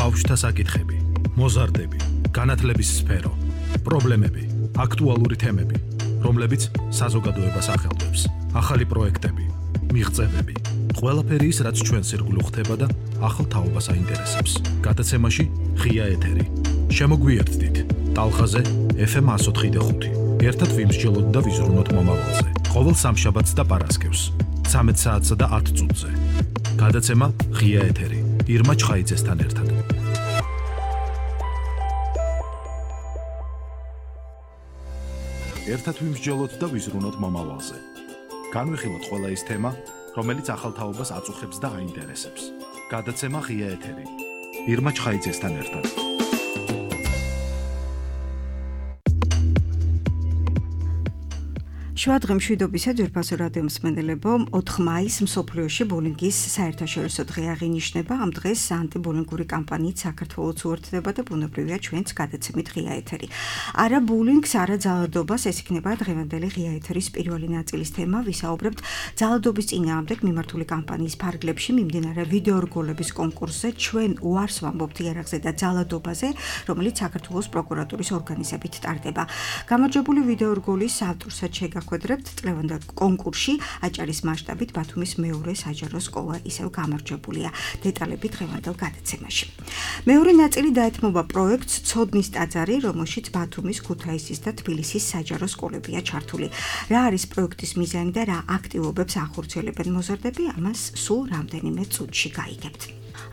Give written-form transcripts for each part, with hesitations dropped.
ბავშვთა საკითხები, მოზარდები, განათლების სფერო, პრობლემები, აქტუალური თემები, რომლებიც საზოგადოებას ახელვებს, ახალი პროექტები, მიღწევები, ყველაფერი ის, რაც ჩვენს ირგვლივ ხდება და ახალ თაობას აინტერესებს. გადაცემაში ღია ეთერი. შემოგვიერთდით ტალღაზე FM 104.5. ერთად ვიმსჯელოთ და ვიზრუნოთ მომავალზე. ყოველ სამშაბათს და პარასკევს 13 საათსა და 10 წუთზე. გადაცემა ღია ეთერი. ირმა ჩხაიძესთან ერთად. ერთად ვიმსჯელოთ და ვიზრუნოთ მომავალზე. განვიხილოთ ყველა ის თემა, რომელიც ახალ თაობას აწუხებს და აინტერესებს. გადაცემა ღია ეთერი. ირმა ჩხაიძესთან ერთად. შუადღე მშვიდობისა ძვირფასო რადიო მსმენელებო, 4 მაისს მსოფლიოში ბულინგის საერთაშორისო დღე აღინიშნება. ამ დღეს ანტიბულინგური კამპანიით საქართველოს უერთდება და ბუნებრივია ჩვენც გადაცემით ღია ეთერი. არა ბულინგს, არა ძალადობას, ეს იქნება დღევანდელი ღია ეთერის პირველი ნაწილის თემა. ვისაუბრებთ ძალადობის წინააღმდეგ მიმართული კამპანიის ფარგლებში მიმდინარე ვიდეო რგოლების კონკურსზე, ჩვენ უარს ვამბობთ იარაღზე და ძალადობაზე, რომელიც საქართველოს პროკურატურის ორგანიზებით ტარდება. გამარჯვებული ვიდეო რგოლის ავტორსაც შეგახვედრებთ წლევანდელ კონკურსში აჭარის მასშტაბით ბათუმის მეორე საჯარო სკოლა ისევ გამარჯვებულია. დეტალები დღევანდელ გადაცემაში. მეორე ნაწილი დაეთმობა პროექტს ცოდნის ტაძარი, რომელშიც ბათუმის, ქუთაისის და თბილისის საჯარო სკოლებია ჩართული. რა არის პროექტის მიზანი და რა აქტივობებს ახორციელებენ მოზარდები, ამას სულ რამდენიმე წუთში გაიგებთ.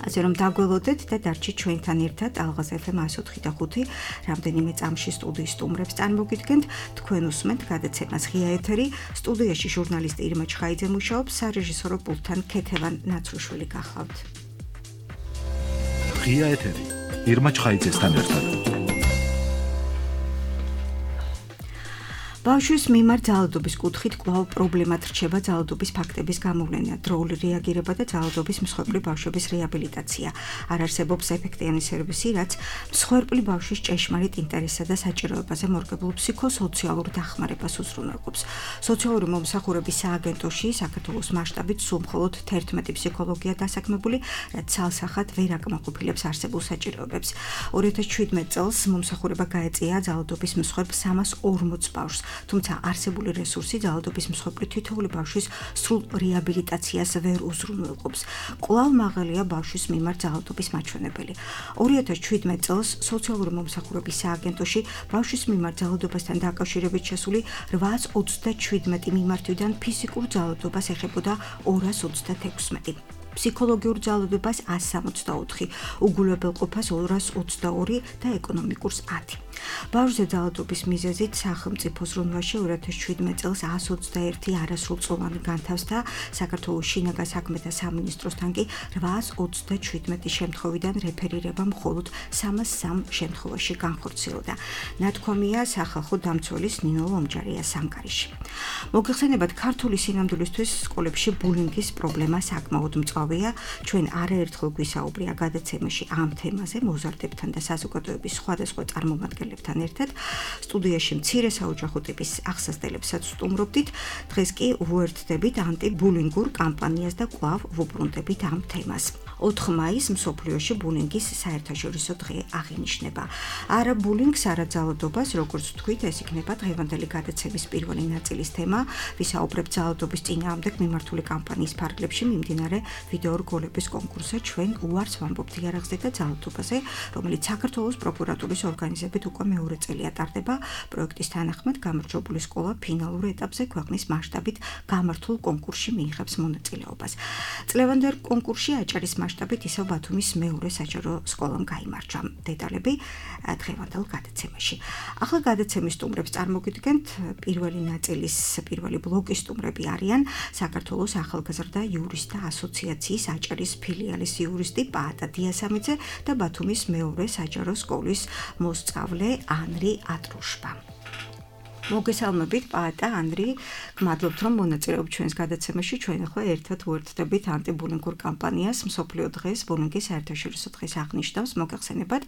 ასე რომ დაგველოდეთ და დარჩით ჩვენთან ერთად ალღაზ FM 104.5 რამდენიმე წამში სტუდიის სტუმრებს წარმოგიდგენთ. თქვენ უსმენთ გადაცემას ღია ეთერი. სტუდიაში ჟურნალისტი ირმა ჩხაიძე მუშაობს, სარეჟისორო პულტთან ქეთევან ნაცრუშვილი გახლავთ. ღია ეთერი. ირმა ჩხაიძესთან ერთად. ბავშვის მიმართ ძალადობის კუთხით კვლავ პრობლემად რჩება ძალადობის ფაქტების გამოვლენა, დროული რეაგირება და ძალადობის მსხვერპლი ბავშვების რეაბილიტაცია. არ არსებობს ეფექტიანი სერვისი, რაც მსხვერპლი ბავშვის ჭეშმარიტ ინტერესსა და საჭიროებაზე მორგებულ ფსიქოსოციალურ დახმარებას უზრუნველყოფს. სოციალური მომსახურების სააგენტოში საქართველოს მასშტაბით სულ მხოლოდ 11 ფსიქოლოგია დასაქმებული, რაც ცალსახად ვერ აკმაყოფილებს არსებულ საჭიროებებს. 2017 წელს მომსახურება გაეწია ძალადობის მსხვერპლ 340 ბავშვს. თუმცა არსებული რესურსი ძალადობის მსხვერპლი თითოეული ბავშვის სრულ რეაბილიტაციას ვერ უზრუნველყოფს. კვლავ მაღალია ბავშვის მიმართ ძალადობის მაჩვენებელი. 2017 წელს სოციალური მომსახურების სააგენტოში ბავშვის მიმართ ძალადობასთან დაკავშირებით შესული 827 მიმართვიდან ფიზიკურ ძალადობას ეხებოდა 236. ფსიქოლოგიურ ძალადობას 164, უგულებელყოფას 222 და ეკონომიკურს 10. ბავშვზე ძალადობის მიზეზით სახელმწიფო ზრუნვაში 2017 წელს 121 არასრულწლოვანი განთავსდა, საქართველოს შინაგან საქმეთა სამინისტროსთან კი 827 შემთხვევიდან რეფერირება მხოლოდ 303 შემთხვევაში განხორციელდა. ნათქვამია სახალხო დამცველის ნინო ლომჯარიას ანგარიში. მოგეხსენებათ, ქართული სინამდვილისთვის სკოლებში ბულინგის პრობლემა საკმაოდ მწვავეა. ჩვენ არაერთხელ გვისაუბრია გადაცემაში ამ თემაზე მოზარდებთან და საზოგადოების სხვადასხვა წარმომადგენლებთან ერთად. სტუდიაში მცირე საოჯახო ტიპის აღსასწრებლებსაც სტუმრობდით. დღეს კი უერთდებით ანტიბულინგურ კამპანიას და კვლავ ვუბრუნდებით ამ თემას. 4 მაისს მსოფლიოში ბულინგის საერთაშორისო დღე აღინიშნება. არა ბულინგს, არა ძალადობას, როგორც ვთქვით, ეს იქნება დღევანდელი გადაცემის პირველი ნაწილის თემა. ვისაუბრებთ ძალადობის წინააღმდეგ მიმართული კამპანიის ფარგლებში მიმდინარე ვიდეო რგოლების კონკურსზე, ჩვენ უარს ვამბობთ იარაღზე და ძალადობაზე, რომელიც საქართველოს პროკურატურის ორგანიზებით უკვე მეორე წელია ტარდება. პროექტის თანახმად გამარჯვებული სკოლა ფინალურ ეტაპზე ქვეყნის მასშტაბით გამართულ კონკურსში მიიღებს მონაწილეობას. წლევანდელ კონკურსში აჭარის მასშტაბით ისევ ბათუმის მეორე საჯარო სკოლამ გაიმარჯვა. დეტალები დღევანდელ გადაცემაში. ახლა გადაცემის სტუმრებს წარმოგიდგენთ. პირველი ნაწილის პირველი ბლოკის სტუმრები არიან საქართველოს ახალგაზრდა იურისტთა ასოციაციის აჭარის ფილიალის იურისტი პაატა დიასამიძე და ბათუმის მეორე საჯარო სკოლის მოსწავლე ანრი ატრუშბა. მოგესალმებით პაატა ანდრი, გმადლობთ რომ მონაწილეობთ ჩვენს გადაცემაში. ჩვენ ახლა ერთად ვუერთდებით ანტიბულინგურ კამპანიას მსოფლიო დღეს, ბულინგის საერთაშორისო დღეს აღნიშნავს. მოგეხსენებათ,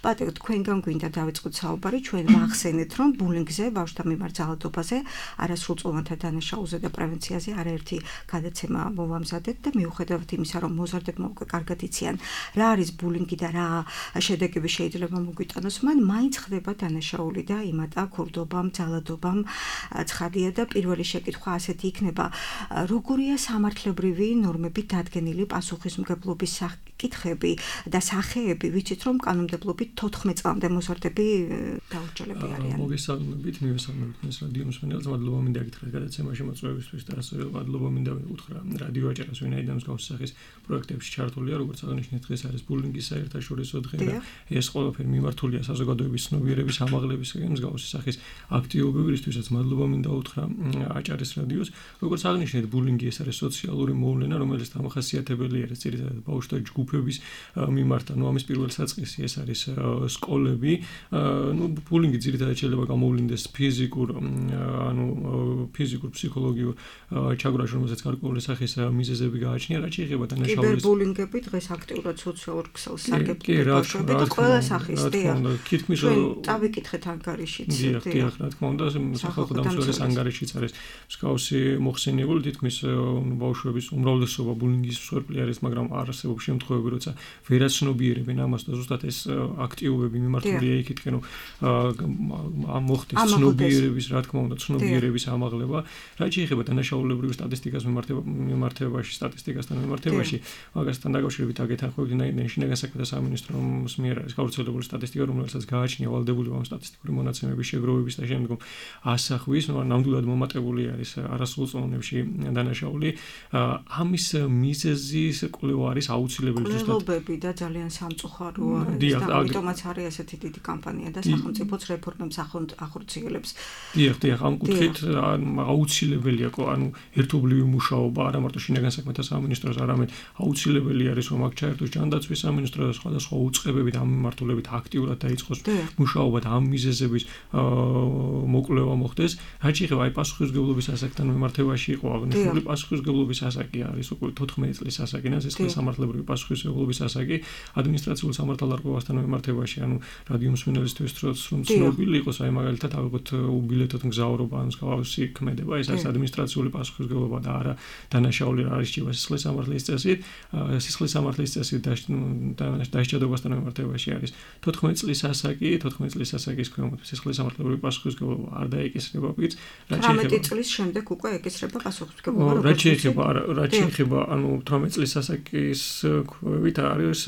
პაატა, თქვენგან გვინდა დავიწყოთ საუბარი. ჩვენ ვახსენეთ, რომ ბულინგზე, ბავშვთა მიმართ ძალადობაზე, არასრულწლოვანთა დანაშაულზე და პრევენციაზე არაერთი გადაცემა მოვამზადეთ და მიუხედავად იმისა, რომ მოზარდებმა უკვე კარგად იციან, რა არის ბულინგი და რა შედეგები შეიძლება მოგვიტანოს, მან მაინც ხდება დანაშაული და იმატა ქურდობამ, ძალადობამ ცხადია და პირველი შეკითხვა ასეთი იქნება, როგორია სამართლებრივი ნორმებით დადგენილი პასუხისმგებლობის საკითხები და სახეები, ვიცით რომ კანონმდებლობით 14 წლამდე მოზარდები დაურჩელები არიან. მოგესალმებით, მივესალმებით თქვენს რადიო მსმენელს, მადლობა მინდა გითხრათ გადაცემაში მოწვევისთვის და ასევე მადლობა მინდა უთხრა რადიო აჭარას, ვინაიდან მსგავს სახის პროექტებში ჩართულია, როგორც აღნიშნეთ, დღეს არის ბულინგის საერთაშორისო დღე და ეს ყველაფერი მიმართულია საზოგადოების ცნობიერების ამაღლებისკენ მსგავსი სახის აქტივობებისთვისაც მადლობა მინდა უთხრა აჭარის რადიოს. როგორც აღნიშნეთ, ბულინგი ეს არის სოციალური მოვლენა, რომელიც დამახასიათებელია ძირითადად ბავშვთა ჯგუფების მიმართ, ამის პირველ საწყისი ეს არის სკოლები. ბულინგი ძირითადად შეიძლება გამოვლინდეს ფიზიკურ, ფსიქოლოგიურ ჩაგვრაში, რომელსაც გარკვეული სახის მიზეზები გააჩნია, რაც შეიძლება დანაშაულის. კიბერბულინგები დღეს აქტიურად სოციალურ ქსელს სარგებლობენ ბავშვები და ყველა სახის ჩვენ წავიკითხეთ ანგარიშიც. დიახ, რა თქმა უნდა, სახალხო დამსვერგლის ანგარიშიც არის მსგავსი მოხსენიებული, თითქმის ბავშვების უმრავლესობა ბულინგის მსხვერპლი არის, მაგრამ არსებობს შემთხვევები, როცა ვერაცნობიერებენ ამას და ზუსტად ეს აქტივობები მიმართულია იქითკენ, რომ მოხდეს ცნობიერების, რა თქმა უნდა, ცნობიერების ამაღლება, რაც შეეხება დანაშაულებრივ სტატისტიკას სტატისტიკასთან მიმართებაში, მაგასთან დაკავშირებით აკეთახავთ შინაგან საქმეთა სამინისტროს მიერ არის გავრცელებული სტატისტიკა, რომელსაც გააჩნია ვალდებული ამ სტატისტიკური მონაცემების შეგროვების და შემდგომ ასახვის, ნამდვილად მომატებული არის არასრულწლოვანებში დანაშაული. ამის მიზეზის კვლევა არის აუცილებელი ზუსტად. კვლევები და ძალიან სამწუხაროა, ამიტომაც არის ასეთი დიდი კამპანია და სახელმწიფოც რეფორმებს ახორციელებს. დიახ, ამ კუთხით აუცილებელია, ერთობლივი მუშაობა, არა მარტო შინაგან საქმეთა სამინისტროს, არამედ აუცილებელი არის, რომ აქ ჩაერთოს ჯანდაცვის სამინისტრო და სხვადასხვა უწყებებით ამ მიმართულებით აქტიურად დაიწყოს მუშაობა და ამ მიზეზების მოკვლევა მოხდეს. რაც შეეხება პასუხისმგებლობის ასაკთან მიმართებაში იყო აღნიშნული პასუხისმგებლობის ასაკი არის უკვე 14 წლის ასაკი, სამართლებრივი პასუხისმგებლობის ასაკი ადმინისტრაციულ სამართალდარღვევასთან მიმართებაში, რადიო მსმენელისთვის რომ ცნობილი იყოს, მაგალითად ალბათ უბილეთოდ მგზავრობა ან მსგავსი ქმედება, ეს არის ადმინისტრაციული პასუხისმგებლობა და არა დანაშაული არის სისხლის სამართლის წესით. სისხლის სამართლის წესით დასჯადობასთან მიმართებაში არის 14 წლის ასაკი, 14 წლის ასაკის ქვემოთ სისხლის სამართლებრივი პასუხისმგებლობა არ დაეკისრება პირს, რაც 18 წლის შემდეგ უკვე ეკისრება პასუხისმგებლობა. რაც შეეხება 18 წლის ასაკის ქვევით არის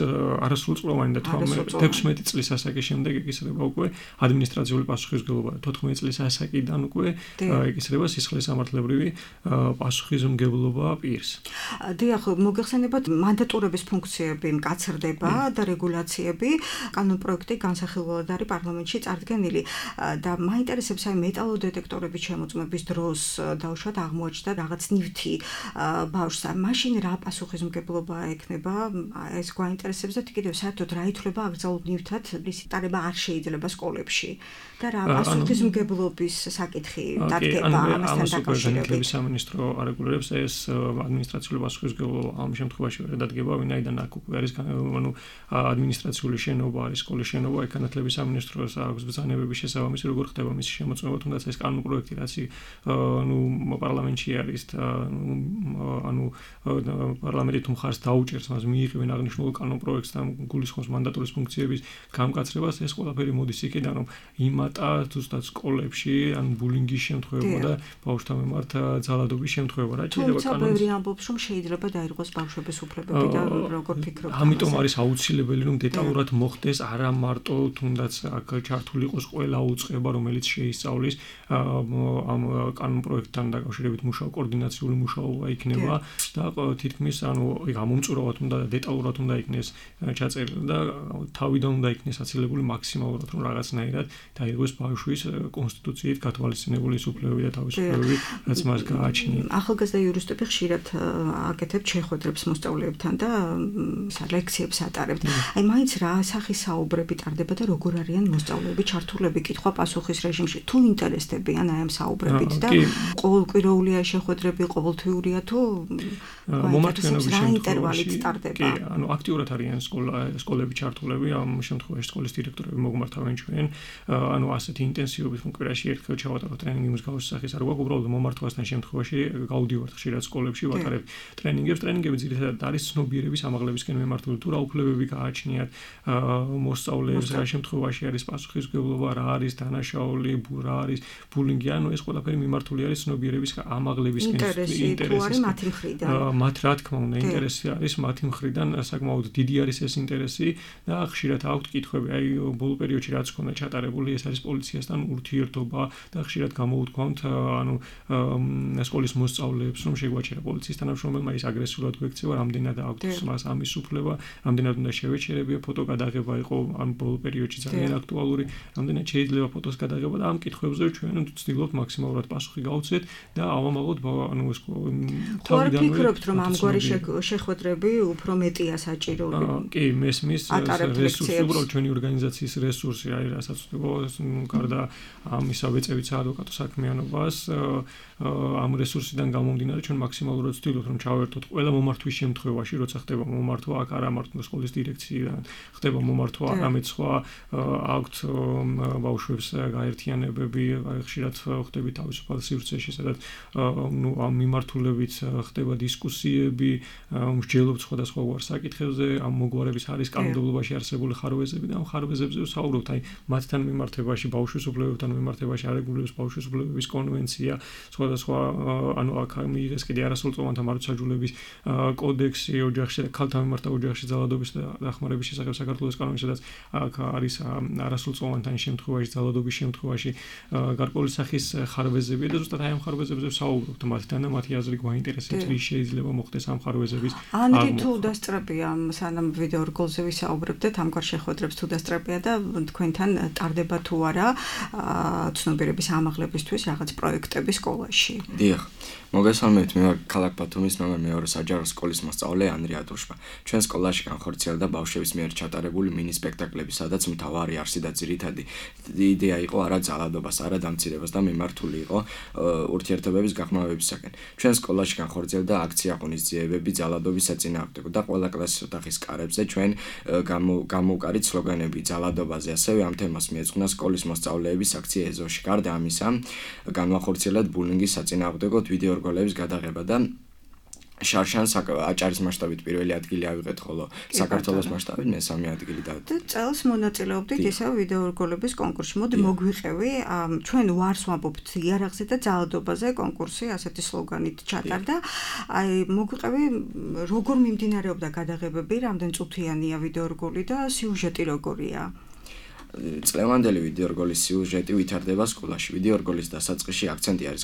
არასრულწლოვანი და 16 წლის ასაკის შემდეგ ეკისრება უკვე ადმინისტრაციული პასუხისმგებლობა. 14 წლის ასაკიდან უკვე ეკისრება სისხლის სამართლებრივი პასუხისმგებლობა პირს. დიახ, მოგეხსენებათ, მანდატურების ფუნქციები მკაცრდება და რეგულაციები, კანონპროექტი განსახილველად არის პარლამენტში წარდგენილი და მაინტერესებს აი მეტალოდეტექტორების შემოწმების დროს დაუშვათ აღმოაჩნდა რაღაც ნივთი ბავშვს, მაშინ რა პასუხისმგებლობა ექნება, ეს გვაინტერესებს და კიდევ საერთოდ რა ითვლება აკრძალულ ნივთად, რის ტარება არ შეიძლება სკოლებში და რა პასუხისმგებლობის საკითხი დადგება ამასთან დაკავშირებით. სამინისტრო არეგულირებს ეს ადმინისტრაციული პასუხისმგებლობა ამ შემთხვევაში ვერ დადგება, ვინაიდან აქ უკვე არის ადმინისტრაციული შენობა, არის სკოლის შენობა, განათლების სამინისტროს აქვს ბრძანებების შესაბამისი, როგორ ხდება მისი შემოწმება, თუნდაც ეს კანონპროექტი, რაც პარლამენტში არის და პარლამენტი თუ მხარს დაუჭერს მას მიიღებენ აღნიშნულ კანონპროექტს და გულისხმობს მანდატურის ფუნქციების გამკაცრებას, ეს ყველაფერი მოდის იქიდან, რომ იმატა ზუსტად სკოლებში, ბულინგის შემთხვევა და ბავშვთა მიმართ ძალადობის შემთხვევა, რაც შეიძლება თუმცა ბევრი ამბობს, რომ შეიძლება დაირღვეს ბავშვების უფლებები და როგორ ფიქრობთ? ამიტომ არის აუცილებელი, რომ დეტალურად მოხდეს არა მარტო თუნდაც აქ ჩართული იყოს ყველა უწყება, რომელიც შეისწავლის ამ კანონპროექტთან დაკავშირებით კოორდინაციული მუშაობა იქნება და თითქმის გამომწურავად უნდა დეტალურად უნდა იქნეს ჩაწერილი და თავიდან უნდა იქნეს აცილებული მაქსიმალურად რომ რაღაცნაირად დაიღოს ბავშვის კონსტიტუციით გათვალისწინებული უფლებები და თავისუფლებები, რაც მას გააჩნია. ახალგაზრდა იურისტები ხშირად აკეთებთ შეხვედრებს მოსწავლეებთან და ლექციებს ატარებთ. აი მაინც რა სახის საუბრები ტარდება და როგორ არიან მოსწავლეები ჩართულები კითხვა-პასუხის რეჟიმში, თუ ინტერესდებიან აი ამ საუბრებით და ყოველკვირეულია შეხვედრები, ყოველთვიურია თუ მომართვენობის ინტერვალით ტარდება. კი, ანუ აქტიურად არიან სკოლები ჩართულები, ამ შემთხვევაში სკოლის დირექტორები მოგმართავენ ჩვენ, ანუ ასეთი ინტენსივობით კვირაში ერთხელ ჩავატაროთ ტრენინგი მსგავსი სახის არ გვაქვს, უბრალოდ მომართვასთან შემთხვევაში გავდივართ ხშირად სკოლებში, ვატარებთ ტრენინგებს. ტრენინგები ძირითადად არის ცნობიერების ამაღლებისკენ მიმართული, თუ რა უფლებები გააჩნიათ მოსწავლეებს, რა შემთხვევაში არის პასუხისმგებლობა, რა არის დანაშაული, რა არის ბულინგი, ანუ ეს ყველაფერი მიმართული არის ცნობიერების ამაღლებისკენ ინტერესის მათი მხრიდან. მათ რა თქმა უნდა ინტერესი არის მათი მხრიდან, საკმაოდ დიდი არის ეს ინტერესი და ხშირად აქვთ კითხვები, აი ბოლო პერიოდში რაც ქონდა ჩატარებული, ეს არის პოლიციასთან ურთიერთობა და ხშირად გამოუთქვამთ ანუ სკოლის მოსწავლეებს, რომ შეგვაჩერა პოლიციის თანამშრომელმა ის აგრესიულად გვექცევა, რამდენად აქვს მას ამის უფლება, რამდენად უნდა შევეჩერებია, ფოტო გადაღება იყო ამ ბოლო პერიოდში ძალიან აქტუალური, რამდენად შეიძლება ფოტოს გადაღება და ამ კითხვებზე ჩვენ ვცდილობთ მაქსიმალურად პასუხი გავუცეთ და ავამალოთ ანუ ეს თავიდანვე ფიქრობთ რომ ამგვარი შეხვედრები უფრო მეტია საჭირო. კი, მესმის რესურსი, უბრალოდ ჩვენი ორგანიზაციის რესურსი, აი რასაც გარდა ამისა ვეწევით საადვოკატო საქმიანობას, ამ რესურსიდან გამომდინარე ჩვენ მაქსიმალურად ვცდილობთ რომ ჩავერთოთ ყველა მომართვის შემთხვევაში, როცა ხდება მომართვა, აქ არა მართლა სკოლის დირექციიდან, ხდება მომართვა არამედ სხვა აქვთ ბავშვებს გაერთიანებები, ხშირად ხდები თავისუფალ სივრცეში, სადაც ნუ ამ მიმართულებით ხდება დისკუსიები, მსჯელობთ სხვადასხვა საკითხებზე, ამ მოგვარების არის კანონმდებლობაში არსებული ხარვეზები და ამ ხარვეზებზე ვსაუბრობთ, აი მათთან მიმართებაში, ბავშვის უფლებებთან მიმართებაში არეგულირებს ბავშვის უფლებების კონვენცია, სხვადასხვა ანუ აქ მიიღეს კიდე არასრულწლოვანთა მარადმუნების კოდექსი ოჯახში და ქალთა მიმართ ოჯახში ძალადობის და დახმარების შესახებ საქართველოს კანონი, სადაც აქ არის არასრულწლოვანთან შემთხვევაში, ძალადობის შემთხვევაში გარკვეული სახის ხარვეზები და ზუსტად აი ამ ხარვეზებზე ვსაუბრობთ მათთან და მათი აზრი გვაინტერესებს, რის შეიძლება მოხდეს ამ ხარვეზების ანდრი თუ დასწრებია სანამ ვიდეო რგოლზე ვისაუბრებდეთ ამგვარ შეხვედრებს თუ დასწრებია და თქვენთან ტარდება თუ არა ცნობიერების ამაღლებისთვის რაღაც პროექტები სკოლაში. დიახ, მოგესალმებით, მე ვარ ქალაქ ბათუმის ნომერ 2 საჯარო სკოლის მოსწავლე ანდრია ატუშბა. ჩვენ სკოლაში განხორციელდა ბავშვების მიერ ჩატარებული მინი სპექტაკლები, სადაც მთავარი არსი და ძირითადი იდეა იყო არა ძალადობას, არა დამცირებას და მიმართული იყო ურთიერთობების გაღრმავებისაკენ. ჩვენ სკოლაში განხორციელდა აქცია ღონისძიებები ძალადობის საწინააღმდეგო და ყველა კლასის ოთახის კარებზე ჩვენ გამოვკარით სლოგანები ძალადობაზე, ასევე ამ თემას მიეძღვნა სკოლის მოსწავლეების აქცია ეზოში. გარდა ამისა, განვახორციელეთ ბულინგის საწინააღმდეგოდ ვიდეო რგოლების გადაღება და შარშანს აჭარის მასშტაბით პირველი ადგილი ავიღეთ, ხოლო საქართველოს მასშტაბით მესამე ადგილი და წელს მონაწილეობდით ისევ ვიდეო რგოლების კონკურსში. მოდი მოგვიყევი, ჩვენ ვარს ვამბობთ იარაღზე და ძალადობაზე კონკურსი ასეთი სლოგანით ჩატარდა. აი მოგვიყევი, როგორ მიმდინარეობდა გადაღებები, რამდენ წუთიანია ვიდეო რგოლი და სიუჟეტი როგორია? წლევანდელი ვიდეო რგოლის სიუჟეტი ვითარდება სკოლაში. ვიდეო რგოლის დასაწყისში აქცენტი არის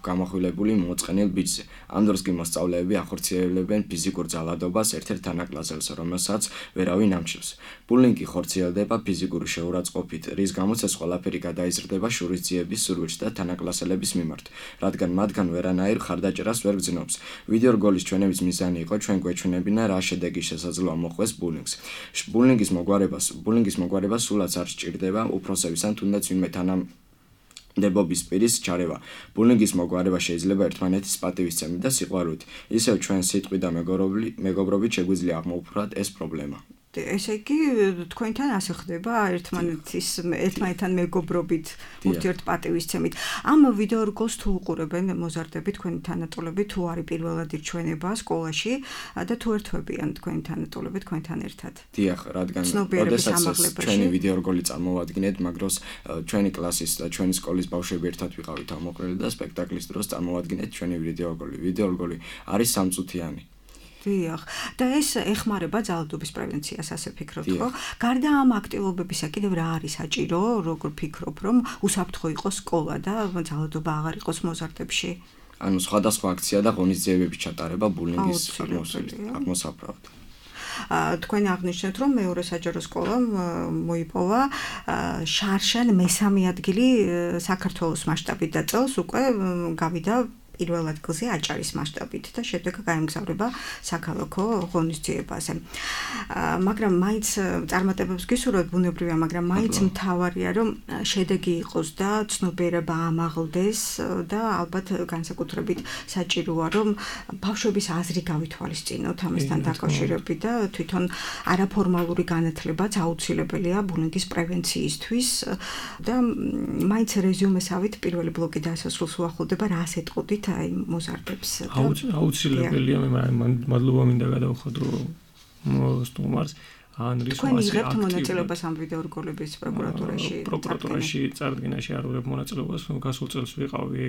გამოხვილებული მოწყენილ ბიჭზე. ამ დროს კი მოსწავლეები ახორციელებენ ფიზიკურ ძალადობას ერთ-ერთ თანაკლასელს, რომელსაც ვერავინ ამჩნევს. ბულინგი ხორციელდება ფიზიკური შეურაცხყოფით, რის გამოც ეს ყველაფერი გადაიზრდება შურისძიების სურვილში და თანაკლასელების მიმართ, რადგან მათგან ვერანაირ ხარდაჭერას ვერ გძნობს. ვიდეო რგოლის ჩვენების მიზანი იყო ჩვენ გვეჩვენებინა რა შედეგი შესაძლოა მოხვდეს ბულინგს. ბულინგის მოგვარება სულაც არ სჭირდება უფროსების ან თუნდაც ვინმე თანამდებობის პირის ჩარევა. ბულინგის მოგვარება შეიძლება ერთმანეთის პატივისცემით და სიყვარულით. ისევ ჩვენ სიტყვით და მეგობრობით შეგვიძლია აღმოუფრათ ეს პრობლემა. ესე იგი თქვენთან ასე ხდება ერთმანეთთან მეგობრობით ურთიერთპატივისცემით. ამ ვიდეო რგოლს თუ უყურებენ მოზარდები თქვენი თანატოლები, თუ არის პირველად ირჩვენება სკოლაში და თუ ერთვებიან თქვენი თანატოლები თქვენთან ერთად. დიახ, რადგან როდესაც ჩვენი ვიდეო რგოლი წარმოვადგინეთ, მაგრამ ჩვენი კლასის და ჩვენი სკოლის ბავშვები ერთად ვიყავით ამოყრილი და სპექტაკლის დროს წარმოვადგინეთ ჩვენი ვიდეო რგოლი. ვიდეო რგოლი არის სამწუთიანი. დიახ, და ეს ეხმარება ძალადობის პრევენციას, ასე ფიქრობთ, ხო? გარდა ამ აქტივობებისა, კიდევ რა არის საჭირო, როგორ ფიქრობ, რომ უსაფრთხო იყოს სკოლა და ძალადობა აღარ იყოს მოზარდებში? ანუ სხვადასხვა აქცია და ღონისძიებების ჩატარება ბულინგის აღმოსაправად. თქვენ აღნიშნეთ, რომ მეორე საჯარო სკოლამ მოიპოვა შარშან მესამე ადგილი საქართველოს მასშტაბით და წელს უკვე გავიდა პირველ ადგილზე აჭარის მასშტაბით და შემდეგ გაემგზავრება საქალაქო ღონისძიებაზე. მაგრამ მაინც წარმატებებს გისურვებთ ბუნებრივია, მაგრამ მაინც მთავარია რომ შედეგი იყოს და ცნობიერება ამაღლდეს და ალბათ განსაკუთრებით საჭიროა რომ ბავშვების აზრი გავითვალისწინოთ ამასთან დაკავშირებით და თვითონ არაფორმალური განათლებაც აუცილებელია ბულინგის პრევენციისთვის და მაინც რეზიუმესავით პირველი ბლოკი დასასრულს უახლოვდება, რას ეტყოდით აი მოზარდებს აუცილებელია მე მადლობა მინდა გადავხადო სტუმარს ანრის იღებთ მონაწილეობას ამ ვიდეორგოლების პროკურატურაში წარდგენაში არ ვიღებ მონაწილეობას გასულ წელს ვიყავი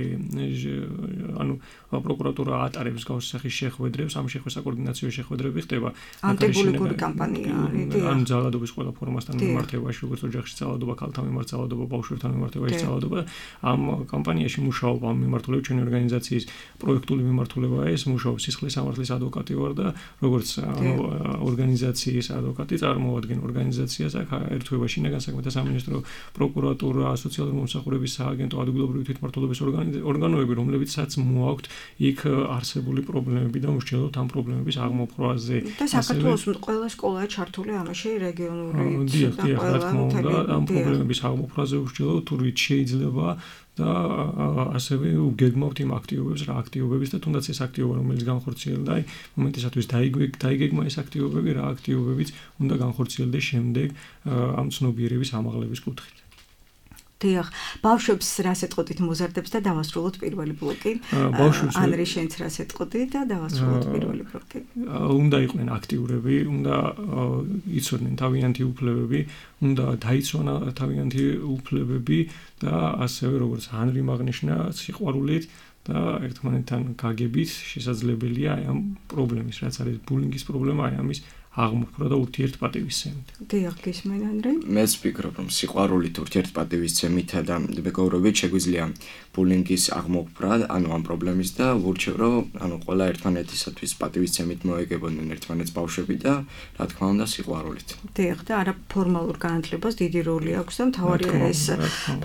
ანუ პროკურატურა ატარებს გავსახის შეხვედრებს ამ საკოორდინაციო შეხვედრები ხდება ანტიბულინგური კამპანია არის ან ძალადობის ყველა ფორმასთან მიმართებაში როგორც ოჯახში ძალადობა ქალთან მიმართ ძალადობა ბავშვებთან მიმართებაში ძალადობა ამ კამპანიაში მუშაობა ამ მიმართულებით ჩვენი ორგანიზაციის პროექტული მიმართულებაა ეს მუშაობს სისხლის სამართლის ადვოკატი ვარ და როგორც ორგანიზაციის ადვოკატი წარმოადგენ ორგანიზაციას აქ ერთვება შინაგან საქმეთა სამინისტრო პროკურატურა სოციალური მომსახურების სააგენტო ადგილობრივი თვითმმართველობის ორგანოები რომლებიცაც მოაქვთ იქ არსებული პრობლემები და მსჯელობთ ამ პრობლემების აღმოფხვაზე და საქართველოს ყველა სკოლაა ჩართული ამაში რეგიონული რა თქმა უნდა ამ პრობლემების აღმოფხვაზე ვსჯელობთ თუ რით შეიძლება და ასევე უგეგმავთ იმ აქტივობებს რა აქტივობების და თუნდაც ეს აქტივობა რომელიც განხორციელდა აი მომენტისათვის დაიგეგმა ეს აქტივობები რა აქტივობებიც უნდა განხორციელდეს შემდეგ ამ ცნობიერების ამაღლების კუთხით დიახ ბავშვებს რას ეტყოდით მოზარდებს და დავასრულოთ პირველი ბლოკი ანრი შენც რას ეტყოდი და დავასრულოთ პირველი ბლოკი უნდა იყვნენ აქტიურები უნდა იცოდნენ თავიანთი უფლებები უნდა დაიცვან თავიანთი უფლებები და ასევე როგორც ანრი მაგნიშნა სიყვარულით და ერთმანეთთან გაგებით შესაძლებელია აი ამ პრობლემის რაც არის ბულინგის პრობლემა აი ამის აღმოფხვრა და ურთიერთპატივისცემით. დიახ, გისმენ ანრი? მეც ვფიქრობ, რომ სიყვარულით ურთიერთპატივისცემით და მეგობრობით შეგვიძლია ბულინგის აღმოფხვრა, ანუ ამ პრობლემის და ვურჩევ, რომ ანუ ყველა ერთმანეთისათვის პატივისცემით მოეგებოდნენ ერთმანეთს ბავშვები და რა თქმა უნდა სიყვარულით. დიახ, და არაფორმალურ განათლებას დიდი როლი აქვს და მთავარია ეს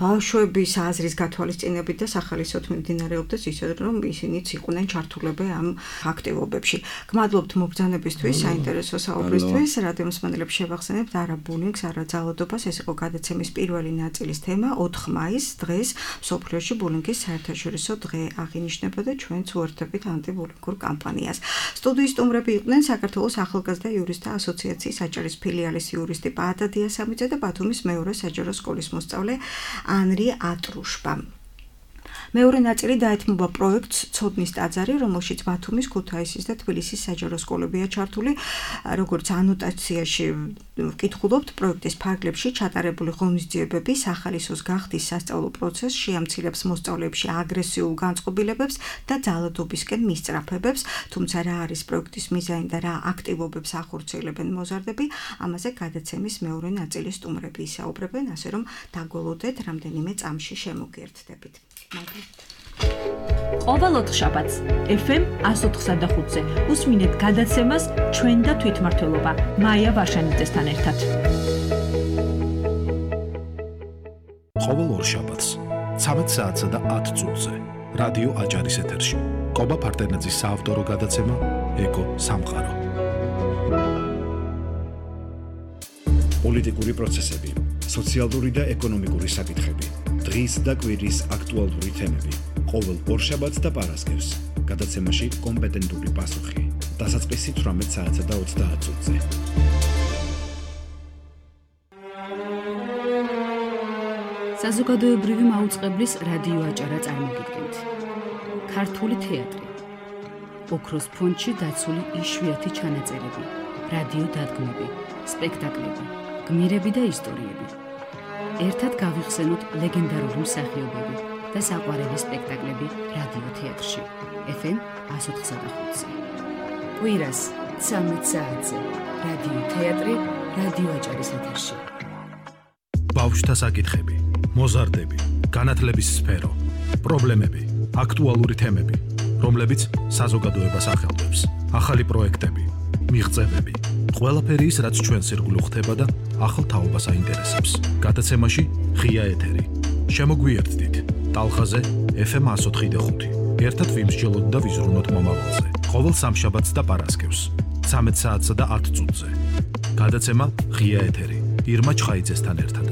ბავშვების აზრის გათვალისწინებით და სახალისოდ მიმდინარეობდეს ისე რომ ისინიც იყვნენ ჩართულები ამ აქტივობებში. გმადლობთ მობრძანებისთვის, საინტერესო საუბრისთვის, რადიო მსმენელებს შევახსენებთ არა ბულინგს, არა ძალადობას, ეს იყო გადაცემის პირველი ნაწილის თემა 4 მაისს დღეს მსოფლიოში ბულინგის საერთაშორისო დღე აღინიშნება და ჩვენც უერთდებით ანტიბულინგურ კამპანიას. სტუდიის სტუმრები იყვნენ საქართველოს ახალგაზრდა იურისტთა ასოციაციის აჭარის ფილიალის იურისტი პაატა დიასამიძე და ბათუმის მეორე საჯარო სკოლის მოსწავლე ანრი ატრუშბა. მეორე ნაწილი დაეთმობა პროექტს ცოდნის ტაძარი, რომელშიც ბათუმის, ქუთაისის და თბილისის საჯარო სკოლებია ჩართული. როგორც ანოტაციაში ვკითხულობთ, პროექტის ფარგლებში ჩატარებული ღონისძიებები სახალისოს გახდის სასწავლო პროცესს შეამცირებს მოსწავლეებში აგრესიულ განწყობილებებს და ძალადობისკენ მისწრაფებებს, თუმცა რა არის პროექტის მიზანი და რა აქტივობებს ახორციელებენ მოზარდები, ამაზე გადაცემის მეორე ნაწილის სტუმრები ისაუბრებენ, ასე რომ დაგველოდეთ რამდენიმე წამში შემოგიერთდებით. ყოველ ოთხშაბათს FM 104.5-ზე უსმინეთ გადაცემას ჩვენ და თვითმმართველობა მაია ვარშანიძესთან ერთად. ყოველ ორშაბათს 13 საათსა და 10 წუთზე რადიო აჭარის ეთერში კობა ფარტენაძის საავტორო გადაცემა ეკო სამყარო. პოლიტიკური პროცესები, სოციალური და ეკონომიკური საკითხები, დღის და კვირის აქტუალური თემები. ყოველ ორშაბათს და პარასკევს გადაცემაში კომპეტენტური პასუხი. დასაწყისი 18 საათსა და 30 წუთზე. საზოგადოებრივი მაუწყებლის რადიო აჭარა წარმოგიდგენთ. ქართული თეატრი. ოქროს ფონდში დაცული იშვიათი ჩანაწერები, რადიო დადგმები, სპექტაკლები, გმირები და ისტორიები. ერთად გავიხსენოთ ლეგენდარული მსახიობები და საყვარელი სპექტაკლები რადიო თეატრში. FM 104.5-ზე. კვირას 13 საათზე რადიო თეატრი, რადიო აჭარის ეთერში. ბავშვთა საკითხები, მოზარდები, განათლების სფერო, პრობლემები, აქტუალური თემები, რომლებიც საზოგადოებას ახელვებს. ახალი პროექტები, მიღწევები, ყველაფერი ის, რაც ჩვენს ირგვლივ ხდება და ახალ თაობას აინტერესებს. გადაცემაში ღია ეთერი. შემოგვიერთდით ტალღაზე FM 104.5. ერთად ვიმსჯელოთ და ვიზრუნოთ მომავალზე. ყოველ სამშაბათს და პარასკევს 13 საათსა და 10 წუთზე. გადაცემა ღია ეთერი. ირმა ჩხაიძესთან ერთად.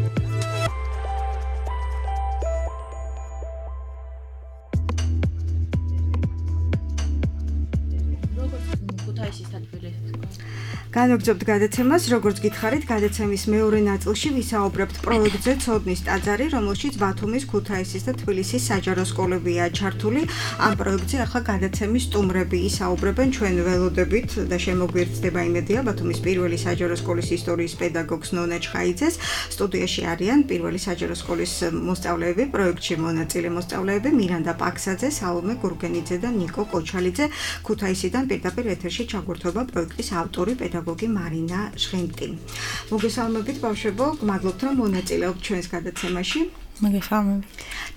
განვაგრძობთ გადაცემას, როგორც გითხარით, გადაცემის მეორე ნაწილში ვისაუბრებთ პროექტზე ცოდნის ტაძარი, რომელშიც ბათუმის, ქუთაისის და თბილისის საჯარო სკოლებია ჩართული. ამ პროექტზე ახლა გადაცემის სტუმრები ისაუბრებენ, ჩვენ ველოდებით და შემოგვიერთდება იმედია ბათუმის პირველი საჯარო სკოლის ისტორიის პედაგოგს ნონა ჩხაიძეს. სტუდიაში არიან პირველი საჯარო სკოლის მოსწავლეები, პროექტში მონაწილე მოსწავლეები მირანდა პაქსაძე, სალომე გურგენიძე და ნიკო კოჩალიძე. ქუთაისიდან პირდაპირ ეთერში ჩაგვერთვება პროექტის ავტორი პედაგოგი მარინა ჟღენტი. მოგესალმებით ბავშვებო, გმადლობთ რომ მონაწილეობთ ჩვენს გადაცემაში. მოგესალმებით.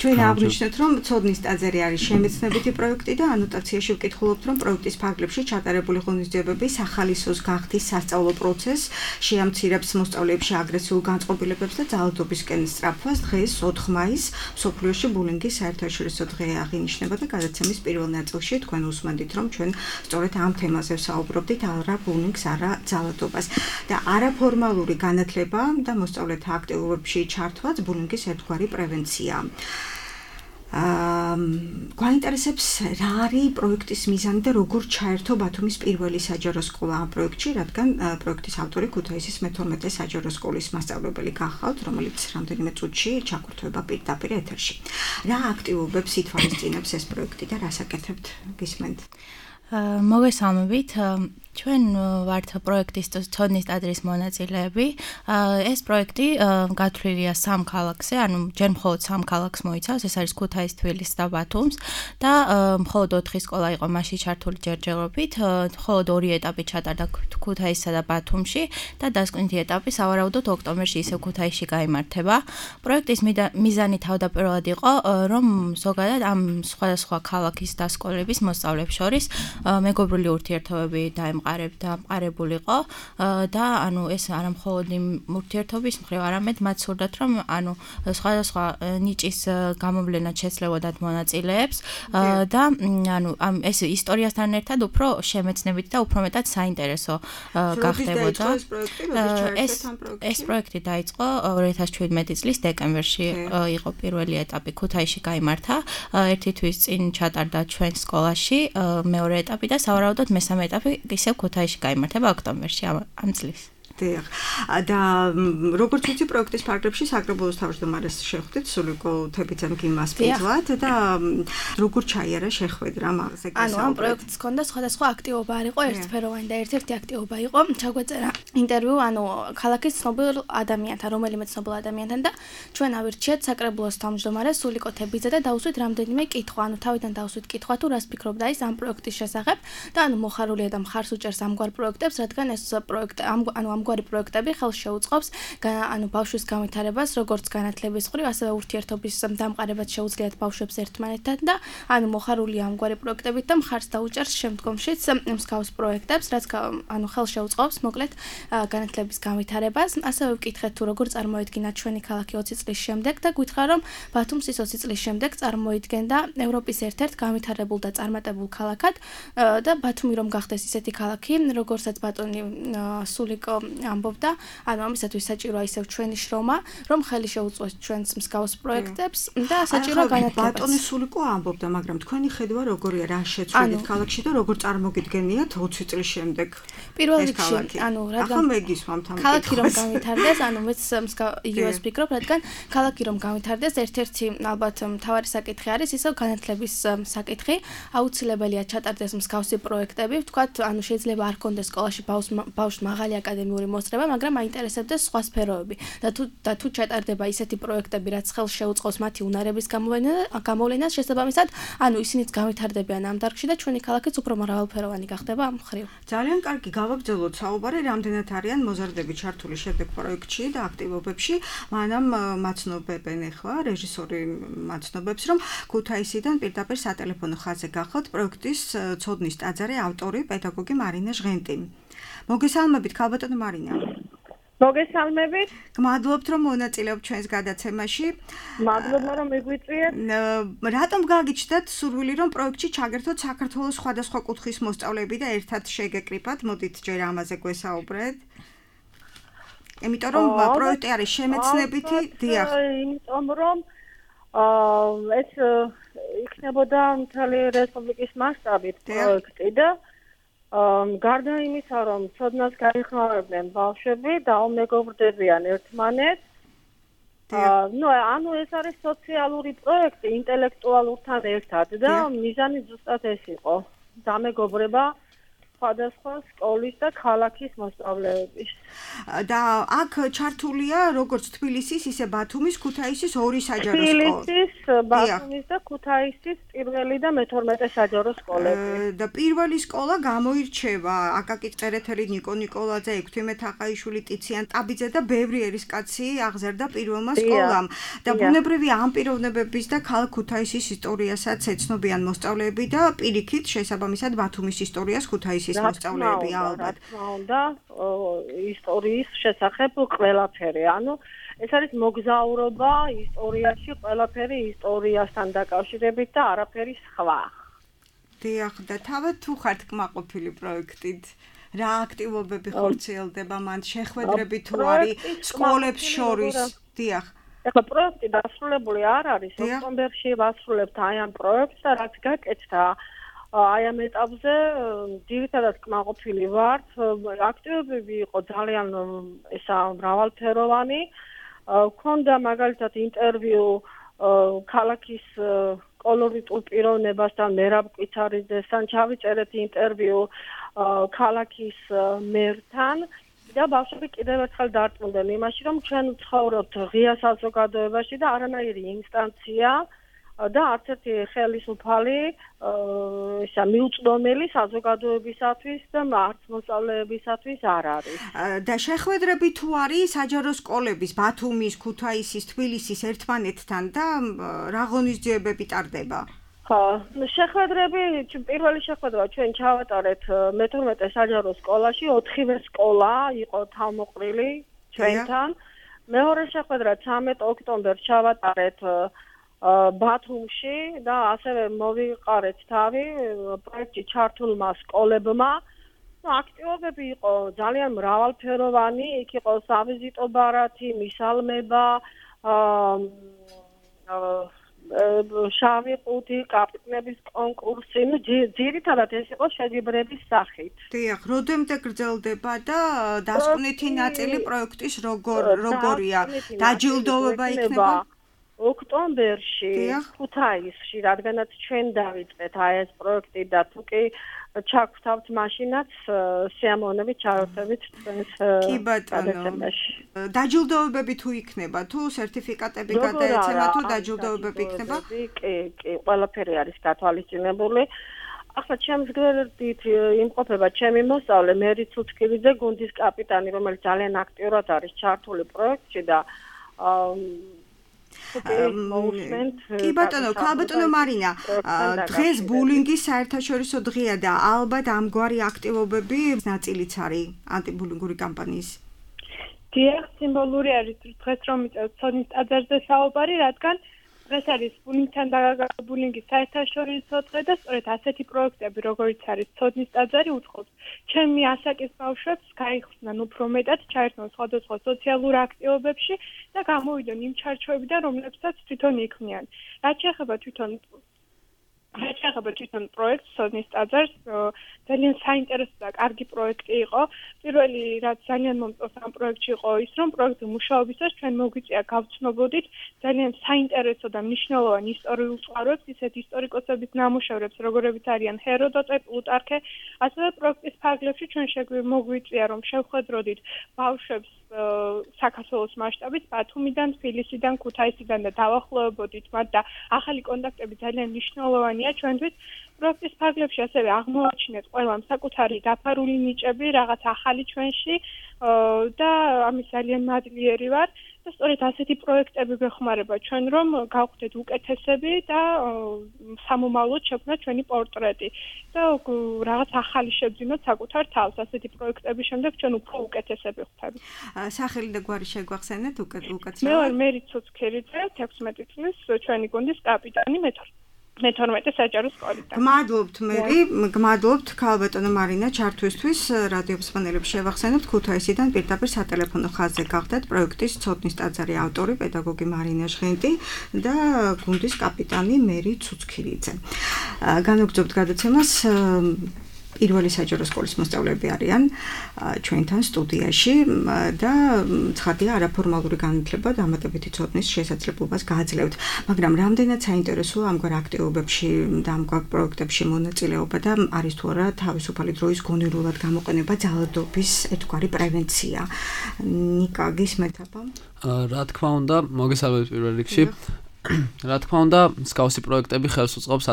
ჩვენ აღვნიშნეთ, რომ ცოდნის ტაძარი არის შემეცნებითი პროექტი და ანოტაციაში ვკითხულობთ, რომ პროექტის ფარგლებში ჩატარებული ღონისძიებები სახალისოს გახდის სასწავლო პროცესს, შეამცირებს მოსწავლეებში აგრესიულ განწყობილებებს და ძალადობისკენ სწრაფვას. დღეს 4 მაისს მსოფლიოში ბულინგის საერთაშორისო დღე აღინიშნება და გადაცემის პირველ ნაწილში თქვენ უსმენთ, რომ ჩვენ სწორედ ამ თემაზე ვსაუბრობდით, არა ბულინგს, არა ძალადობას. და არაფორმალური განათლება და მოსწავლეთა აქტივობებში ჩართვაც ბულინგის ერთგვარი პრევენცია. გვაინტერესებს რა არის პროექტის მიზანი და როგორ ჩაერთო ბათუმის პირველი საჯარო სკოლა ამ პროექტში, რადგან პროექტის ავტორი ქუთაისის მე-12 საჯარო სკოლის მასწავლებელი გახავთ, რომელიც რამდენიმე წუთში ჩაგვერთვება პირდაპირ ეთერში. რა აქტივობებს ითვალისწინებს ეს პროექტი და რას აკეთებთ? გისმენთ? მოგესალმებით. ჩვენ ვართ პროექტის ცოდნის ტაძრის მონაწილეები. ეს პროექტი გათვლილია 3 ქალაქზე, ანუ ჯერ მხოლოდ 3 ქალაქს მოიცავს, ეს არის ქუთაისი, თბილისი და ბათუმს და მხოლოდ 4 სკოლა იყო მასში ჩართული ჯერჯერობით, მხოლოდ 2 ეტაპი ჩატარდა ქუთაისსა და ბათუმში და დასკვნითი ეტაპი სავარაუდოდ ოქტომბერში ისევ ქუთაისში გაიმართება. პროექტის მიზანი თავდაპირველად იყო, რომ ზოგადად ამ სხვადასხვა ქალაქის და სკოლების მოსწავლეებს შორის მეგობრული ურთიერთობები დამყარებულიყო და ანუ ეს არა მხოლოდ იმ ურთიერთობის მხრივ, არამედ მათ სურდათ, რომ ანუ სხვადასხვა ნიჭის გამოვლენა შეცლებოდათ მონაწილეებს და ანუ ამ ეს ისტორიასთან ერთად უფრო შემეცნებით და უფრო მეტად საინტერესო გახდებოდა. ეს პროექტი დაიწყო 2017 წლის დეკემბერში იყო პირველი ეტაპი ქუთაისში გაიმართა. ერთი თვის წინ ჩატარდა ჩვენ სკოლაში მეორე ეტაპი და სავარაუდოდ მესამე ეტაპი ისევ ქუთაისში გაიმართება ოქტომბერში ამ წლის. და როგორც ვიცი პროექტის ფარგლებში საკრებულოს თავმჯდომარეს შეხვდით სულიკო თებიძემ გიმას პეძლად და როგორ ჩაიარა შეხვედრა მაგაზე გასაუბრეთ. ანუ ამ პროექტს ჰქონდა სხვადასხვა აქტივობა არ იყო ერთფეროვანი და ერთ-ერთი აქტივობა იყო ჩაგვეწერა ინტერვიუ ანუ ქალაქის ცნობილ ადამიანთან, რომელიმე ცნობილ ადამიანთან და ჩვენ ავირჩიეთ საკრებულოს თავმჯდომარეს სულიკო თებიძე და დავუსვით რამდენიმე კითხვა, ანუ თავიდან დავუსვით კითხვა თუ რას ფიქრობდა ის ამ პროექტის შესახებ და ანუ მოხარულია და მხარს უჭერს ამგვარ პროექტებს, რადგან ეს პროექტი ამგვარი პროექტები ხელს შეუწყობს ანუ ბავშვის განვითარებას, როგორც განათლების მხრივ, ასევე ურთიერთობის დამყარებას შეუძლიათ ბავშვებს ერთმანეთთან და ანუ მოხარულია ამგვარი პროექტებით და მხარს დაუჭერს შემდგომშიც მსგავს პროექტებს, რაც ანუ ხელს შეუწყობს მოკლედ განათლების განვითარებას. ასევე ვკითხეთ თუ როგორ წარმოედგინა ჩვენი ქალაქი 20 წლის შემდეგ და გითხრა რომ ბათუმს ის 20 წლის შემდეგ წარმოიდგენდა ევროპის ერთ-ერთ განვითარებულ და წარმატებულ ქალაქად და ბათუმი რომ გახდეს ისეთი ქალაქი, როგორცაც ბატონი სულიკო ამბობდა, ანუ ამისათვის საჭიროა ისევ ჩვენი შრომა, რომ ხელი შეუწყოს ჩვენს მსგავს პროექტებს და საჭირო განათლებას. ბატონი სულიკო ამბობდა, მაგრამ თქვენი ხედვა როგორია, რა შეცვლით ქალაქში და როგორ წარმოგიდგენიათ 20 წლის შემდეგ? პირველ რიგში, ანუ რადგან მეგისვამთ ამ ქალაქი რომ განვითარდეს, ანუ მეც იგივეს ვფიქრობ, რადგან ქალაქი რომ განვითარდეს, ერთ-ერთი ალბათ მთავარი საკითხი არის ისევ განათლების საკითხი. აუცილებელია ჩატარდეს მსგავსი პროექტები, ვთქვათ, ანუ შეიძლება არ კონდეს სკოლაში ბავშვს მაღალი აკადემიური მოსწრება, მაგრამ აინტერესებდეს სხვა სფეროები. და თუ ჩატარდება ისეთი პროექტები, რაც ხელს შეუწყობს მათი უნარების გამოვლენას, შესაბამისად, ანუ ისინიც განვითარდებიან ამ დარგში და ჩვენი ქალაქიც უფრო მრავალფეროვანი გახდება ამ მხრივ. ძალიან კარგი, გავაგრძელოთ საუბარი, რამდენად არიან მოზარდები ჩართული შემდეგ პროექტში და აქტივობებში, მანამ მაცნობებენ ახლა რეჟისორი მაცნობებს, რომ ქუთაისიდან პირდაპირ სატელეფონო ხაზზე გახლავთ პროექტის ცოდნის ტაძარი ავტორი პედაგოგი მარინა ჟღენტი. მოგესალმებით, ქალბატონო მარინა. მოგესალმებით. გმადლობთ, რომ მონაწილეობთ ჩვენს გადაცემაში. მადლობა, რომ მიგვიწვიეთ. რატომ გაგიჩნდათ სურვილი, რომ პროექტში ჩაგერთოთ საქართველოს სხვადასხვა კუთხის მოსწავლეები და ერთად შეგეკრიბათ? მოდით ჯერ ამაზე გვესაუბრეთ. იმიტომ რომ პროექტი არის შემეცნებითი, დიახ. იმიტომ რომ ეს იქნებოდა მთელი რესპუბლიკის მასშტაბით პროექტი და გარდა იმისა, რომ ცოდნას გაიხმარებდნენ ბავშვები და უმეგობრდებიან ერთმანეთს, ანუ ეს არის სოციალური პროექტი ინტელექტუალურთან ერთად და მიზანი ზუსტად ეს იყო. დამეგობრება სხვადასხვა სკოლის და ქალაქის მოსწავლეების. და აქ ჩართულია როგორც თბილისის, ისე ბათუმის, ქუთაისის ორი საჯარო სკოლა. თბილისის, ბათუმის და ქუთაისის პირველი და მე-12 საჯარო სკოლები. და პირველი სკოლა გამოირჩევა აკაკი წერეთელი, ნიკო ნიკოლაძე, ექვთიმე თაყაიშვილი, ტიციან ტაბიძე და ბევრი ერისკაცი აღზარდა პირველმა სკოლამ. და ბუნებრივია ამ პიროვნებების და ქალაქ ქუთაისის ისტორიასაც ეცნობიან მოსწავლეები და პირიქით შესაბამისად ბათუმის ისტორიას ქუთაისის მოსწავლეები ალბათ. რა თქმა უნდა, ისტორიის შესახებ ყველაფერი. ანუ ეს არის მოგზაურობა ისტორიაში, ყველაფერი ისტორიასთან დაკავშირებით და არაფერი სხვა. დიახ, და თავად თუ ხართ კმაყოფილი პროექტით? რა აქტივობები ხორციელდება მან? შეხვედრები თუ არის სკოლებს შორის? დიახ. ეხლა პროექტი დასრულებული არ არის. ოქტომბერში ვასრულებთ აი ამ პროექტს და რაც გაკეთდა აი ამ ეტაპზე ძირითადად კმაყოფილი ვართ. აქტივობები იყო ძალიან მრავალფეროვანი. ქონდა მაგალითად ინტერვიუ ქალაქის კოლორიტულ პიროვნებასთან მერაბ კვიცარიძესთან, ჩავიწერეთ ინტერვიუ ქალაქის მერთან და ბავშვები კიდევ ერთხელ დარწმუნდნენ იმაში, რომ ჩვენ ვცხოვრობთ ღია საზოგადოებაში და არანაირი ინსტანცია და არც ერთი ხელისუფალი მიუწვდომელი საზოგადოებისათვის და არც მოსწავლეებისათვის არ არის. და შეხვედრები თუ არის საჯარო სკოლების ბათუმის, ქუთაისის, თბილისის ერთმანეთთან და რა ღონისძიებები ტარდება? შეხვედრები, პირველი შეხვედრა ჩვენ ჩავატარეთ მე-12 საჯარო სკოლაში, 4-ვე სკოლა იყო თავმოყრილი ჩვენთან. მეორე შეხვედრა 13 ოქტომბერს ჩავატარეთ ბათუმში და ასევე მოვიყარეთ თავი პროექტში ჩართულმა სკოლებმა. აქტივობები იყო ძალიან მრავალფეროვანი, იქ იყო სავიზიტო ბარათი, მისალმება, შავი ყუთი, კაპიტნების კონკურსი, ძირითადად ეს იყო შეჯიბრების სახით. დიახ, როდემდე გრძელდება და დასკვნითი ნაწილი პროექტის როგორია? დაჯილდოვება იქნება? ოქტომბერში ქუთაისში, რადგანაც ჩვენ დავიწყეთ აი ეს პროექტი და თუ კი ჩაგვთავთ მაშინაც სიამოვნებით ჩავერთებით ჩვენს გადაცემაში. დაჯილდოვებები თუ იქნება, თუ სერტიფიკატები გადაეცემა, თუ დაჯილდოვებები იქნება? კი, ყველაფერი არის გათვალისწინებული. ახლა ჩემს გვერდით იმყოფება ჩემი მოსწავლე მერი ცუცკივიძე, გუნდის კაპიტანი, რომელიც ძალიან აქტიურად არის ჩართული პროექტში და კი ბატონო, ქალბატონო მარინა, დღეს ბულინგის საერთაშორისო დღეა და ალბათ ამგვარი აქტივობები ნაწილიც არის ანტიბულინგური კამპანიის. დიახ, სიმბოლური არის დღეს რომ მიწევთ ცოდნის ტაძარზე საუბარი, რადგან დღეს არის ბულინგის საერთაშორისო დღე და სწორედ ასეთი პროექტები, როგორიც არის ცოდნის ტაძარი, უწყობს ჩემი ასაკის ბავშვებს გაიხსნან უფრო მეტად, ჩაერთონ სხვადასხვა სოციალურ აქტივობებში და გამოვიდონ იმ ჩარჩოებიდან, რომლებსაც თვითონ იქმნიან. რაც შეეხება თვითონ პროექტს ცოდნის ტაძარს, ძალიან საინტერესო და კარგი პროექტი იყო. პირველი რაც ძალიან მომწონს ამ პროექტში იყო ის, რომ პროექტი მუშაობისას ჩვენ მოგვიწია გავცნობოდით ძალიან საინტერესო და მნიშვნელოვან ისტორიულ წყაროებს, ისეთ ისტორიკოსების ნამუშევრებს, როგორებიც არიან ჰეროდოტე, პლუტარქე, ასევე პროექტის ფარგლებში ჩვენ მოგვიწია, რომ შევხედროდით ბავშვებს საქართველოს მასშტაბით ბათუმიდან, თბილისიდან, ქუთაისიდან და დავახლოვებოდით მათ და ახალი კონტაქტები ძალიან მნიშვნელოვანია ჩვენთვის. პროექტის ფარგლებში ასევე აღმოაჩინეთ ყველამ საკუთარი დაფარული ნიჭები, რაღაც ახალი ჩვენში და ამის ძალიან მადლიერი ვარ და და სწორედ ასეთი პროექტები გვეხმარება ჩვენ რომ გავხდეთ უკეთესები და სამომავლოდ შექმნათ ჩვენი პორტრეტი და რაღაც ახალი შევძინოთ საკუთარ თავს ასეთი პროექტების შემდეგ ჩვენ უფრო უკეთესები ვხდებით. სახელი და გვარი შეგვახსენეთ უკეთესად. მე ვარ მერი ცუცქერიძე 16 წლის ჩვენი გუნდის კაპიტანი მე-12 საჯარო სკოლიდან. გმადლობთ ქალბატონო მარინა ჩართვისთვის რადიო მსმენელებს შევახსენებთ ქუთაისიდან პირდაპირ სატელეფონო ხაზზე გახდათ პროექტის ცოდნის ტაძარი ავტორი პედაგოგი მარინა ჟღენტი და გუნდის კაპიტანი მერი ცუცქირიძე. განვაგრძობთ გადაცემას პირველი საჯარო სკოლის მოსწავლეები არიან ჩვენთან სტუდიაში და ცხადია არაფორმალური განათლება და ამატებითი ცოდნის შესაძლებლობას გააძლევთ, მაგრამ რამდენად საინტერესოა ამგვარ აქტივობებში და ამგვარ პროექტებში მონაწილეობა და არის თუ არა თავისუფალი დროის გონივრულად გამოყენება ძალადობის ერთგვარი პრევენცია. ნიკა გისმენთ აბა? რა თქმა უნდა, მოგესალმებით პირველ რიგში. რა თქმა უნდა, მსგავსი პროექტები ხელს უწყობს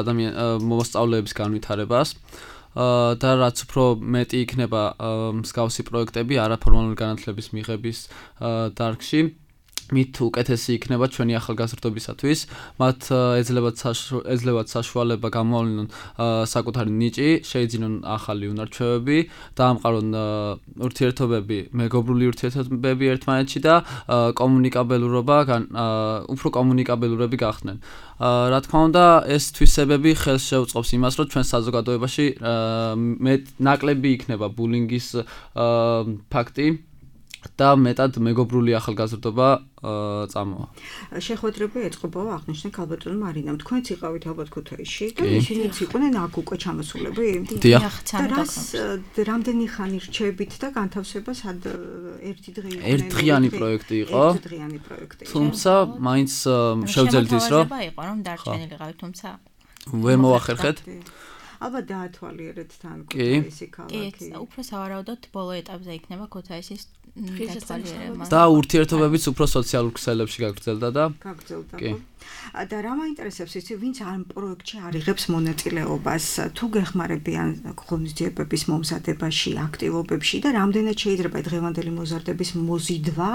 მოსწავლეების განვითარებას. და რაც უფრო მეტი იქნება მსგავსი პროექტები არაფორმალური განათლების მიღების დარგში, მით უკეთესი იქნება ჩვენი ახალგაზრდობისათვის. მათ ეძლებათ საშუალება გამოავლინონ საკუთარი ნიჭი, შეიძინონ ახალი უნარჩვევები, დაამყარონ ურთიერთობები, მეგობრული ურთიერთობები ერთმანეთში და უფრო კომუნიკაბელურები გახდნენ. რა თქმა უნდა, ეს თვისებები ხელს შეუწყობს იმას, რომ ჩვენ საზოგადოებაში ნაკლები იქნება ბულინგის ფაქტი და მეტად მეგობრული ახალგაზრდობა წამოვა. შეხვედრები ეწყობაო აღნიშნე ქალბატონო მარინამ. თქვენც იყავით ალბათ ქუთაისში და ისინიც იყვნენ აქ უკვე ჩამოსულები? დიახ. რამდენი ხანი რჩებით და განთავსება სად ერთი დღე იყო? ერთდღიანი პროექტი იყო. ერთდღიანი პროექტი. თუმცა მაინც შევძელით ის რომ იყო რომ დარჩენილიყავით, თუმცა ვერ მოვახერხეთ. ალბათ დაათვალიერეთ თან ქუთაისი ქალაქი. კი, უფრო სავარაუდოდ ბოლო ეტაპზე იქნება ქუთაისის დათვალიერება. და ურთიერთობებიც უფრო სოციალურ ქსელებში გაგრძელდა და კი. და რა მაინტერესებს იცი, ვინც ამ პროექტში არიღებს მონაწილეობას, თუ გეხმარებიან ღონისძიებების მომზადებაში, აქტივობებში და რამდენად შეიძლება დღევანდელი მოზარდების მოზიდვა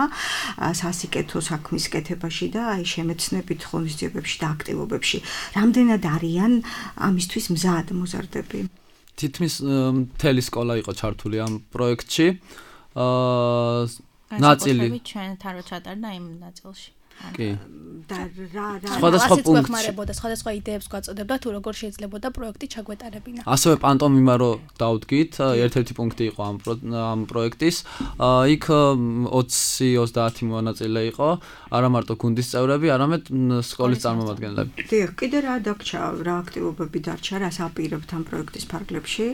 სასიკეთო საქმის კეთებაში და აი შემეცნებით ღონისძიებებში და აქტივობებში. რამდენად არიან ამისთვის მზად მოზარდები? თითქმის მთელი სკოლა იყო ჩართული ამ პროექტში. ნაწილი ჩვენთან რო ჩატარდა იმ ნაწილში. კი. და სხვადასხვა პუნქტში გვეხმარებოდა, სხვადასხვა იდეებს გვაწოდებდა თუ როგორ შეიძლება პროექტი ჩაგვეტარებინა. ასევე პანტომიმა რო დავდგით, ერთ-ერთი პუნქტი იყო ამ პროექტის. იქ 20-30 მონაწილე იყო, არა მარტო გუნდის წევრები, არამედ სკოლის წარმომადგენლები. დიახ, კიდე რა დაგჭა, რა აქტივობები დარჩა, რას აპირებთ ამ პროექტის ფარგლებში?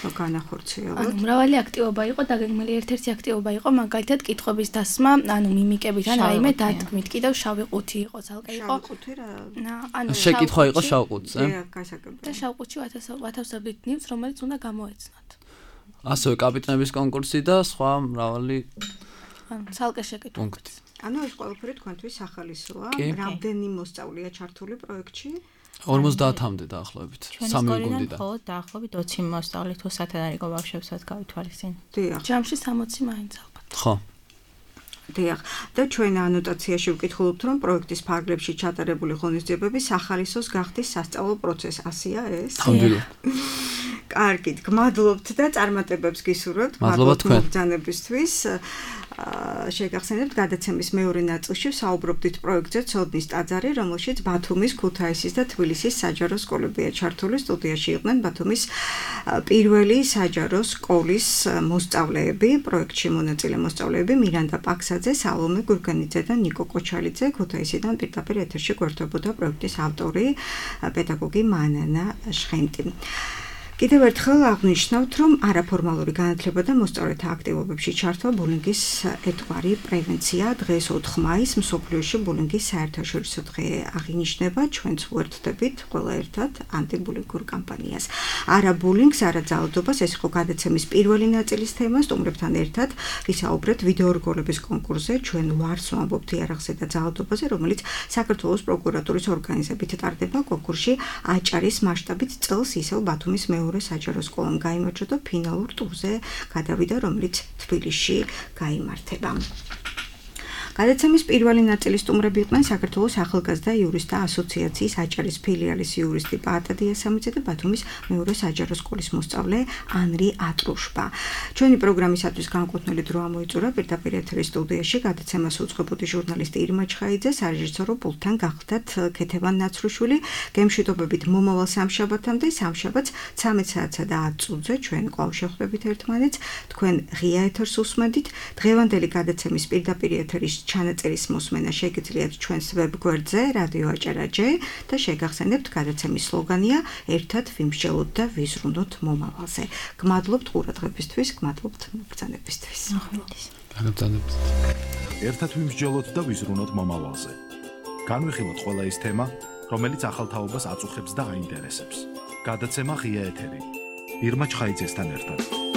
განახორციელოთ. მრავალი აქტივობა იყო, დაგეგმილი ერთ-ერთი აქტივობა იყო, მაგალითად კითხვების დასმა, ანუ მიმიკებით, ან რაიმე დათქმით. კიდევ შავი ყუთი იყო, ძალკე იყო. შავი ყუთი რა? შეკითხვა იყო შავ ყუთზე. გასაგებია. და შავ ყუთში ვათავსებდით ნივთს, რომელიც უნდა გამოეცნოთ. ასევე კაპიტნების კონკურსი და სხვა მრავალი ძალკე შეკითხვა. ანუ ეს ყველაფერი თქვენთვის სახალისოა. რამდენი მოსწავლეა ჩართული პროექტში? 50-მდე დაახლოებით. სამი გუნდიდან. ხოლო დაახლოებით 20 მოსწავლე თუ სათად არის ბავშვებსაც გავითვალისწინ. დიახ. ჯამში 60 მაინც ალბათ. ხო. დიახ. და ჩვენ ანოტაციაში ვკითხულობთ, რომ პროექტის ფარგლებში ჩატარებული ღონისძიებები სახალისოს გახდის სასწავლო პროცესი. ასია ეს? ნამდვილად. კარგით, გმადლობთ და წარმატებებს გისურვებთ მოგზაურობისთვის. შეგახსენებთ გადაცემის მეორე ნაწილში საუბრობდით პროექტზე ცოდნის ტაძარი, რომელშიც ბათუმის, ქუთაისის და თბილისის საჯარო სკოლებია ჩართული. სტუდიაში იყვნენ ბათუმის პირველი საჯარო სკოლის მოსწავლეები, პროექტში მონაწილე მოსწავლეები მირანდა პაქსაძე, სალომე გურგანიძე და ნიკო კოჩალიძე. ქუთაისიდან პირდაპირ ეთერში გვერდებოდა პროექტის ავტორი პედაგოგი მანანა ჟღენტი. კიდევ ერთხელ აღნიშნავთ, რომ არაფორმალური განათლება და მოსწავლეთა აქტივობებში ჩართვა ბულინგის ერთგვარი პრევენცია. დღეს 4 მაისს მსოფლიოში ბულინგის საერთაშორისო დღე აღინიშნება. ჩვენც ვერთდებით ყველა ერთად ანტიბულინგურ კამპანიას. არა ბულინგს, არა ძალადობას, ეს იყო გადაცემის პირველი ნაწილის თემა. სტუმრებთან ერთად ვისაუბრეთ ვიდეორგოლების კონკურსზე. ჩვენ ვარს ვამბობთ იარაღზე და ძალადობაზე, რომელიც საქართველოს პროკურატურის ორგანიზებით ტარდება. კონკურსში აჭარის მასშტაბით წელს ისევ ბათუმის მეორე საჯარო სკოლამ გაიმარჯვა და ფინალურ ტურზე გადავიდა, რომელიც თბილისში გაიმართება. გადაცემის პირველი ნაწილის სტუმრები იყვნენ საქართველოს ახალგაზრდა იურისტთა ასოციაციის აჭარის ფილიალის იურისტი პაატა დიასამიძე და ბათუმის მეორე საჯარო სკოლის მოსწავლე ანრი ატრუშბა. ჩვენი პროგრამისათვის განკუთვნილი დრო ამოიწურა პირდაპირ ეთერის სტუდიაში გადაცემას უძღვებოდი ჟურნალისტი ირმა ჩხაიძე, სარეჟისორო პულტთან გახლდათ ქეთევან ნაცრუშვილი, გემშვიდობებით მომავალ სამშაბათამდე, სამშაბათს 13 საათსა და 10 წუთზე ჩვენ კვლავ შევხვდებით ერთმანეთს, თქვენ ღია ეთერს უსმენთ. დღევანდელი გადაცემის პირდაპირ ეთერის ჩანაწერის მოსმენა შეგიძლიათ ჩვენს ვებგვერდზე რადიო აჭარა.jp და შეგახსენებთ გადაცემის სლოგანია ერთად ვიმსჯელოთ და ვიზრუნოთ მომავალზე. გმადლობთ ყურადღებისთვის, გმადლობთ მოგზაურობისთვის. ერთად ვიმსჯელოთ და ვიზრუნოთ მომავალზე. განვიხილოთ ყველა ის თემა, რომელიც ახალ თაობას აწუხებს და აინტერესებს. გადაცემა ღია ეთერი. ირმა ჩხაიძესთან ერთად.